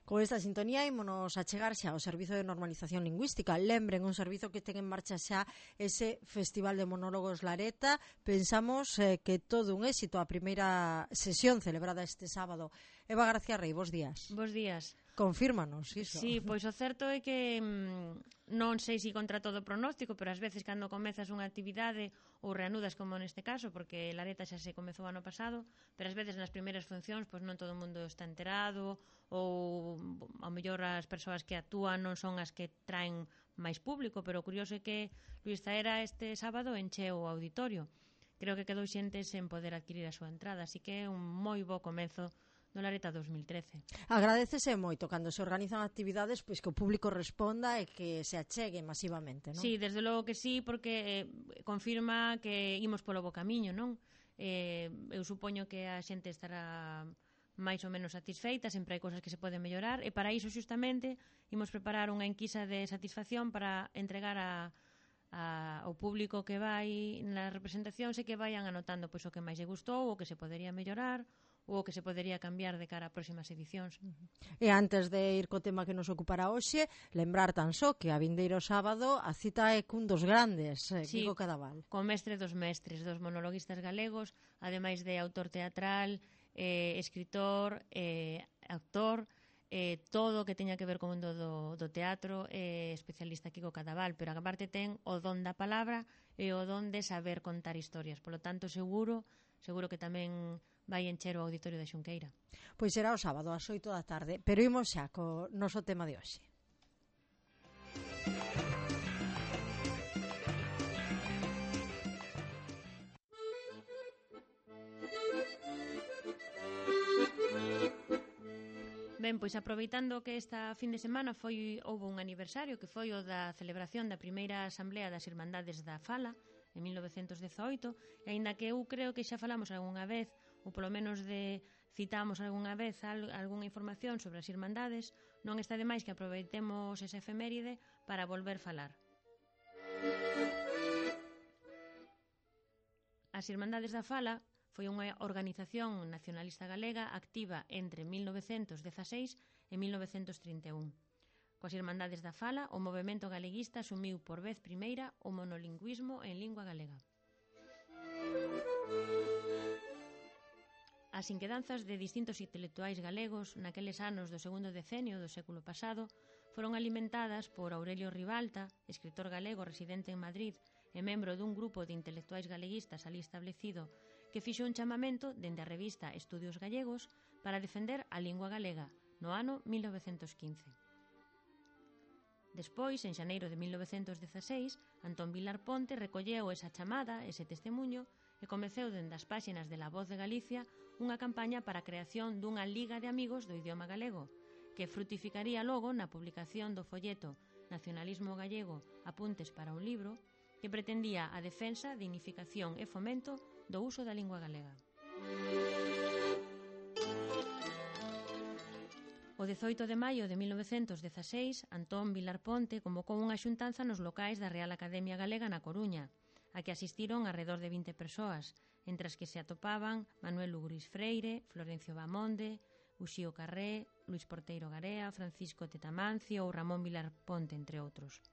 Con esta sintonía ímonos a chegar xa ao Servizo de Normalización Lingüística. Lembren un servizo que ten en marcha xa ese Festival de Monólogos Lareta. Pensamos que todo un éxito a primeira sesión celebrada este sábado. Eva García Rey, bos días. Bos días. Confírmanos iso. Sí, pois o certo é que non sei se contra todo pronóstico, pero ás veces cando comezas unha actividade ou reanudas como neste caso, porque Lareta xa se comezou ano pasado, pero ás veces nas primeiras funcións pois non todo o mundo está enterado ou ao mellor as persoas que actúan non son as que traen máis público, pero o curioso é que Luís Zaera este sábado encheu o auditorio. Creo que quedou xente sen poder adquirir a súa entrada, así que é un moi bo comezo no Lareta 2013. Agradecese moito cando se organizan actividades pois que o público responda e que se achegue masivamente, non? Sí, desde logo que sí, porque confirma que imos polo bo camiño, non? Eu supoño que a xente estará máis ou menos satisfeita, sempre hai cousas que se poden mellorar, e para iso xustamente imos preparar unha enquisa de satisfacción para entregar ao público que vai na representación e que vayan anotando pois o que máis lle gustou, o que se podería mellorar ou o que se podería cambiar de cara a próximas edicións. E antes de ir co tema que nos ocupará hoxe, lembrar tan só que a vindeiro sábado a cita é cun dos grandes, sí, Quico Cadaval. Co mestre dos mestres, dos monologuistas galegos, ademais de autor teatral, escritor, actor, todo o que teña que ver co mundo do teatro, especialista Quico Cadaval, pero aparte ten o don da palabra e o don de saber contar historias. Polo tanto, seguro que tamén vai encher o auditorio de Xunqueira. Pois será o sábado ás 8 da tarde, pero imos xa co noso tema de hoxe. Ben, pois aproveitando que esta fin de semana houve un aniversario que foi o da celebración da primeira Asamblea das Irmandades da Fala en 1918, e aínda que eu creo que xa falamos algunha vez, ou polo menos citamos algunha vez algunha información sobre as Irmandades, non está de máis que aproveitemos esa efeméride para volver falar. As Irmandades da Fala foi unha organización nacionalista galega activa entre 1916 e 1931. Coas Irmandades da Fala, o movemento galeguista asumiu por vez primeira o monolingüismo en lingua galega. As inquedanzas de distintos intelectuais galegos naqueles anos do segundo decenio do século pasado foron alimentadas por Aurelio Ribalta, escritor galego residente en Madrid e membro dun grupo de intelectuais galeguistas alí establecido, que fixo un chamamento dende a revista Estudios Gallegos para defender a lingua galega no ano 1915. Despois, en xaneiro de 1916, Antón Vilar Ponte recolleu esa chamada, ese testemunho, e comeceu dende as páxinas de La Voz de Galicia unha campaña para a creación dunha liga de amigos do idioma galego, que frutificaría logo na publicación do folleto Nacionalismo Gallego, apuntes para un libro, que pretendía a defensa, dignificación e fomento do uso da lingua galega. O 18 de maio de 1916, Antón Vilar Ponte convocou unha xuntanza nos locais da Real Academia Galega na Coruña, a que asistiron alrededor de 20 persoas, entre as que se atopaban Manuel Ugris Freire, Florencio Bamonde, Uxío Carré, Luís Porteiro Garea, Francisco Tetamancio ou Ramón Vilar Ponte, entre outros.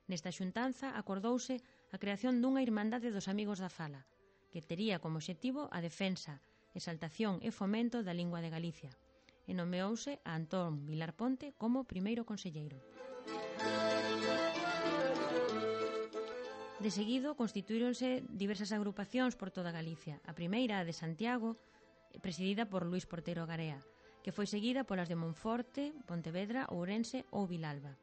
Nesta xuntanza acordouse a creación dunha Irmandade dos Amigos da Fala, que tería como obxectivo a defensa, exaltación e fomento da lingua de Galicia, e nomeouse a Antón Vilar Ponte como primeiro conselleiro. De seguido, constituíronse diversas agrupacións por toda Galicia. A primeira, a de Santiago, presidida por Luís Porteiro Garea, que foi seguida polas de Monforte, Pontevedra, Ourense ou Vilalba.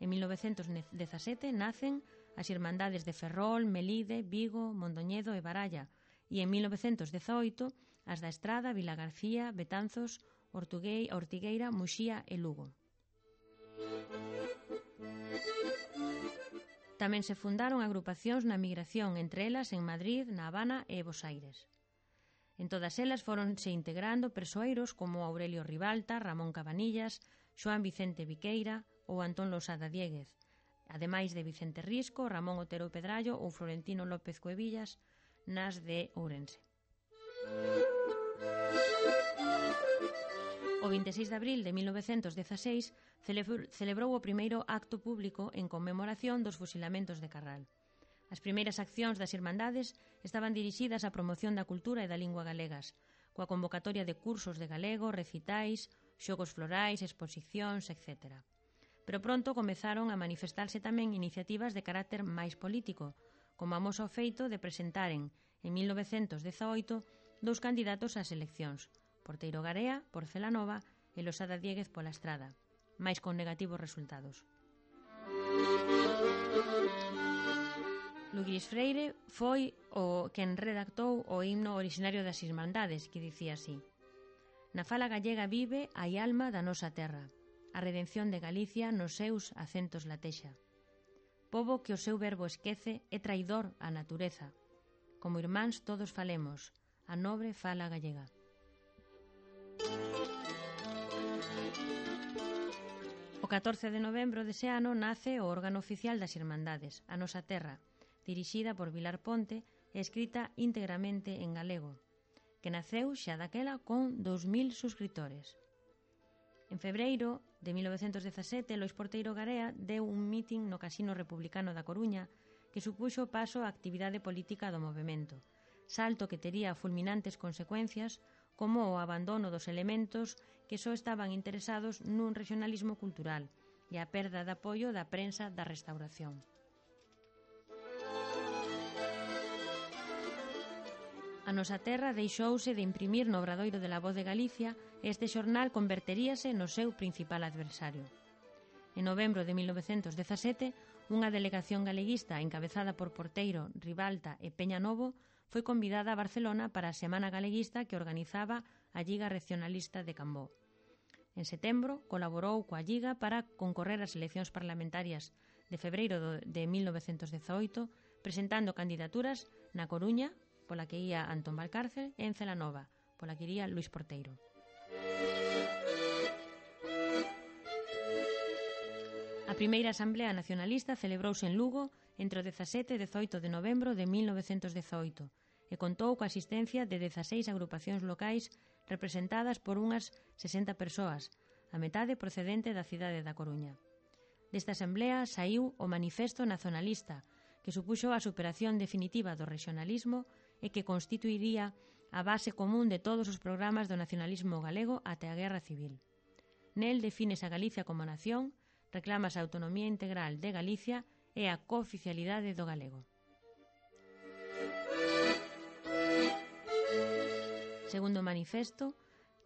En 1917 nacen as Irmandades de Ferrol, Melide, Vigo, Mondoñedo e Baralla, e en 1918 as da Estrada, Vilagarcía, Betanzos, Ortigueira, Muxía e Lugo. Tamén se fundaron agrupacións na migración, entre elas en Madrid, na Habana e Bos Aires. En todas elas foronse integrando persoeiros como Aurelio Ribalta, Ramón Cabanillas, Xoán Vicente Viqueira ou Antón Losada Diéguez, ademais de Vicente Risco, Ramón Otero Pedrallo ou Florentino López Cuevillas, nas de Ourense. O 26 de abril de 1916 celebrou o primeiro acto público en conmemoración dos fusilamentos de Carral. As primeiras accións das Irmandades estaban dirixidas á promoción da cultura e da lingua galegas, coa convocatoria de cursos de galego, recitais, xogos florais, exposicións, etc. Pero pronto comezaron a manifestarse tamén iniciativas de carácter máis político, como amosa o feito de presentaren, en 1918, dous candidatos ás eleccións, Porteiro Garea, por Celanova, e Losada Diéguez pola Estrada, máis con negativos resultados. Luguís Freire foi o quen redactou o himno orixinario das Irmandades, que dicía así: Na fala gallega vive a alma da nosa terra, a redención de Galicia nos seus acentos latexa. Pobo que o seu verbo esquece é traidor á natureza. Como irmáns todos falemos, a nobre fala gallega. O 14 de novembro dese ano nace o órgano oficial das Irmandades, A Nosa Terra, dirixida por Vilar Ponte e escrita íntegramente en galego, que naceu xa daquela con 2000 suscriptores. En febreiro de 1917, Lois Porteiro Garea deu un mitin no Casino Republicano da Coruña que supuxo paso á actividade política do movemento, salto que tería fulminantes consecuencias como o abandono dos elementos que só estaban interesados nun regionalismo cultural e a perda de apoio da prensa da Restauración. A Nosa Terra deixouse de imprimir no Obradoiro de la Voz de Galicia e este xornal converteríase no seu principal adversario. En novembro de 1917, unha delegación galeguista encabezada por Porteiro, Ribalta e Peña Novo foi convidada a Barcelona para a Semana Galeguista que organizaba a Lliga Regionalista de Cambó. En setembro colaborou coa Lliga para concorrer ás eleccións parlamentarias de febreiro de 1918, presentando candidaturas na Coruña, pola que ía Antón Valcárcel, e en Celanova, pola que iría Luís Porteiro. A primeira Asamblea Nacionalista celebrouse en Lugo entre o 17 e 18 de novembro de 1918 e contou coa asistencia de 16 agrupacións locais representadas por unhas 60 persoas, a metade procedente da cidade da Coruña. Desta asamblea saiu o Manifesto Nacionalista, que supuxo a superación definitiva do regionalismo e que constituiría a base común de todos os programas do nacionalismo galego até a Guerra Civil. Nel defínese a Galicia como nación, reclámase a autonomía integral de Galicia e a cooficialidade do galego. Segundo o manifesto,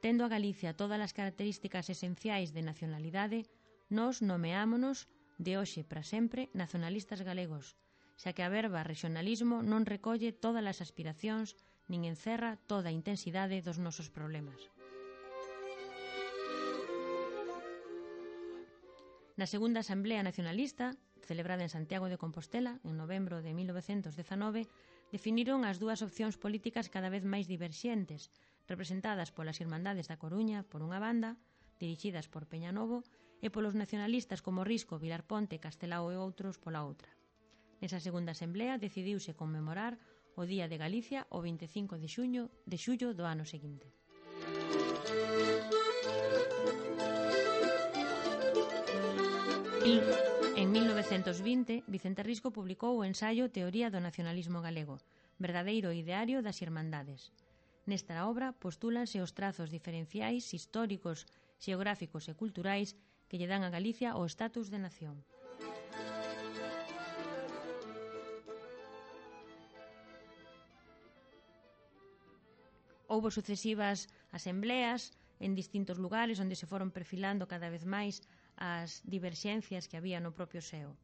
tendo a Galicia todas as características esenciais de nacionalidade, nós nomeámonos de hoxe para sempre nacionalistas galegos, xa que a verba regionalismo non recolle todas as aspiracións nin encerra toda a intensidade dos nosos problemas. Na segunda Asamblea Nacionalista, celebrada en Santiago de Compostela en novembro de 1919, definiron as dúas opcións políticas cada vez máis diverxentes, representadas polas Irmandades da Coruña, por unha banda, dirixidas por Peña Novo, e polos nacionalistas como Risco, Vilar Ponte, Castelao e outros pola outra. Nesa segunda asamblea decidiuse conmemorar o Día de Galicia o 25 de xullo do ano seguinte. En 1920, Vicente Risco publicou o ensaio Teoría do nacionalismo galego, verdadeiro ideario das Irmandades. Nesta obra postúlanse os trazos diferenciais históricos, xeográficos e culturais que lle dan a Galicia o estatus de nación. Houbo sucesivas asembleas en distintos lugares onde se foron perfilando cada vez máis as diverxencias que había no propio SEO.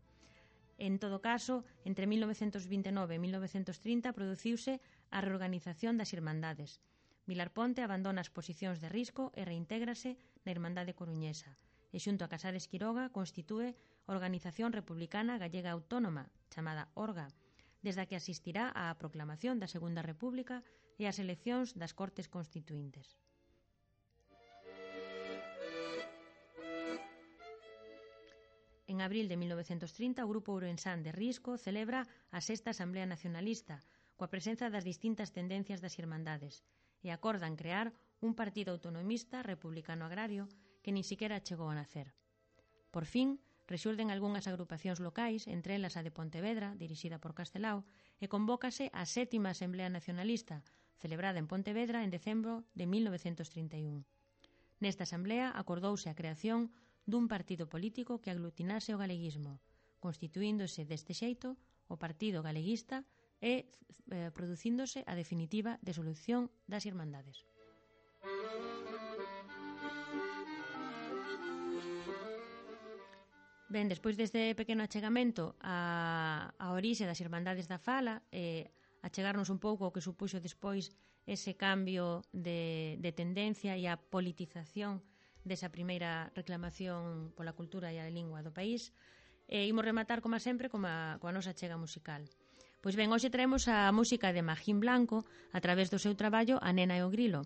En todo caso, entre 1929 e 1930 produciuse a reorganización das Irmandades. Vilar Ponte abandona as posicións de Risco e reintégrase na Irmandade Coruñesa, e xunto a Casares Quiroga constitúe a Organización Republicana Gallega Autónoma, chamada ORGA, desde a que asistirá á proclamación da Segunda República e ás eleccións das Cortes Constituíntes. En abril de 1930, o Grupo Ourensán de Risco celebra a sexta Asamblea Nacionalista, coa presenza das distintas tendencias das Irmandades, e acordan crear un partido autonomista republicano agrario que nin siquiera chegou a nacer. Por fin, rexurden algunhas agrupacións locais, entre elas a de Pontevedra, dirixida por Castelao, e convócase a 7ª Asamblea Nacionalista, celebrada en Pontevedra en decembro de 1931. Nesta asamblea acordouse a creación dun partido político que aglutinase o galeguismo, constituíndose deste xeito o Partido Galeguista e producíndose a definitiva disolución das Irmandades. Ben, despois deste pequeno achegamento a orixe das Irmandades da Fala e achegarnos un pouco ao que supuxo despois ese cambio de tendencia e a politización desa primeira reclamación pola cultura e a lingua do país, imos rematar, como sempre, coa nosa achega musical. Pois ben, hoxe traemos a música de Magín Blanco a través do seu traballo A nena e o grilo,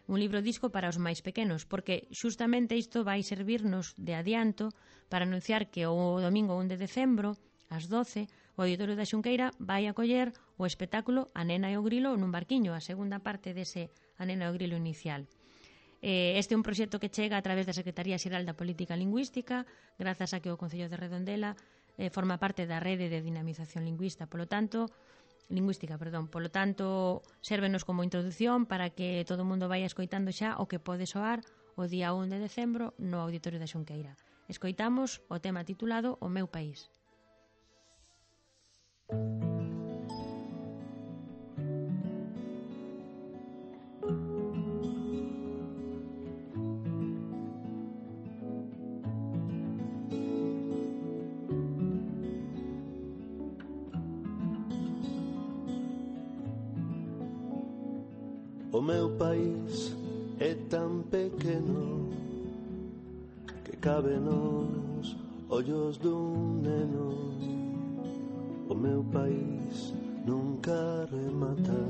un libro disco para os máis pequenos, porque xustamente isto vai servirnos de adianto para anunciar que o domingo 1 de decembro, ás 12, o Auditorio da Xunqueira vai acoller o espectáculo A nena e o grilo nun barquiño, a segunda parte dese A nena e o grilo inicial. Este é un proxecto que chega a través da Secretaría Xeral da Política Lingüística, grazas a que o Concello de Redondela forma parte da rede de dinamización lingüística, polo tanto, sérvenos como introdución para que todo o mundo vaya escoitando xa o que pode soar o día 1 de decembro no Auditorio da Xunqueira. Escoitamos o tema titulado O meu país. O meu país é tan pequeno que cabe nos ollos dun neno. O meu país nunca remata,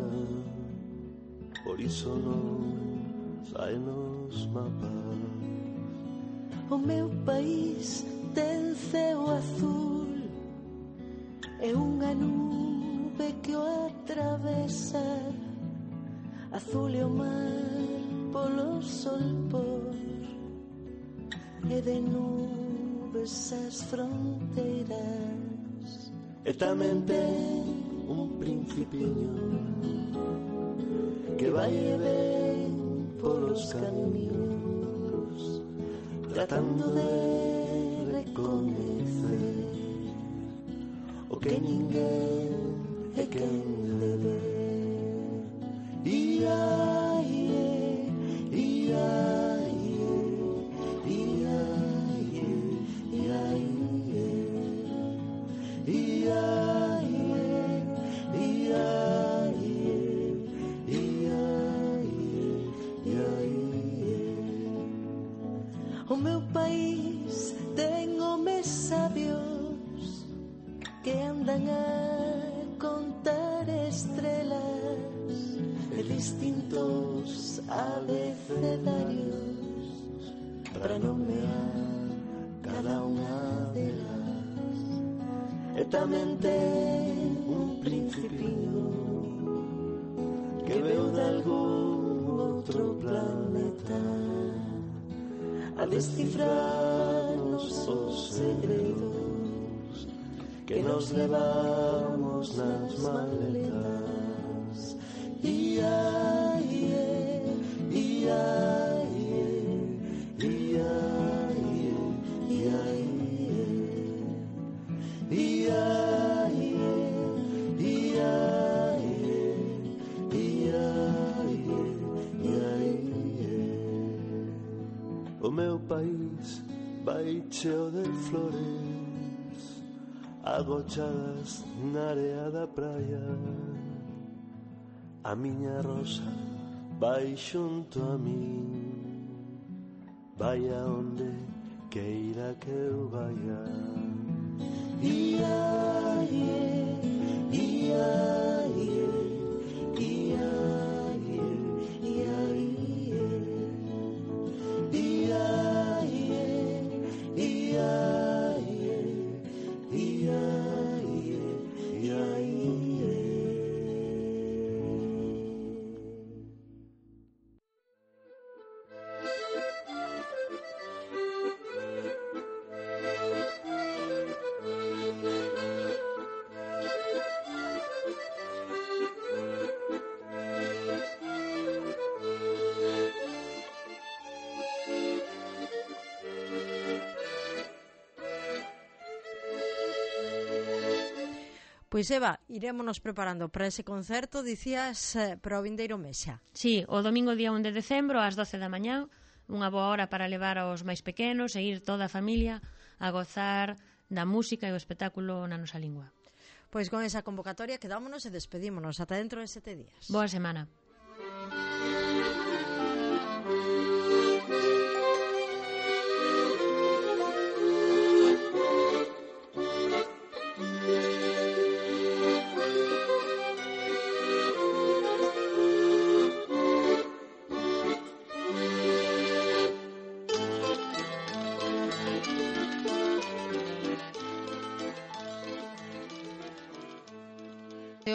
por iso non sai nos mapas. O meu país ten ceo azul e unha nube que o atravesa. Azul e o mar polo solpor e de nubes as fronteiras. E tamén ten un principiño que vai e ven polos camiños, tratando de recoñecer o que ninguén é quen le ve. Ia, ie, ia, ie, ia, ie, ia, ie, ia, ie, ia, ie, ia, ie. O meu país ten homes sabios que andan a contar estrelas e distintos abecedarios para nomear cada unha delas. E tamén ten un principiño que veu de algún outro planeta a descifrarnos os segredos que nos levamos nas maletas. Ia, ie, ia, ie, ia, ie, ia, ie, ia, ie, ia, ie, ia, ia, ie. O meu país vai cheo de flores agochadas na area da praia. A miña rosa vai xunto a min, vai a onde queira que eu vaya. Ia, ie, ia, ie, ia, ie, ia, ie, ia, ie, ia, ie, ia, ie, ia, ie. Pois Eva, irémonos preparando para ese concerto, dicías, para o vindeiro mes xa. Sí, o domingo día 1 de decembro ás 12 da mañá, unha boa hora para levar aos máis pequenos e ir toda a familia a gozar da música e o espectáculo na nosa lingua. Pois con esa convocatoria quedámonos e despedímonos ata dentro de 7 días. Boa semana.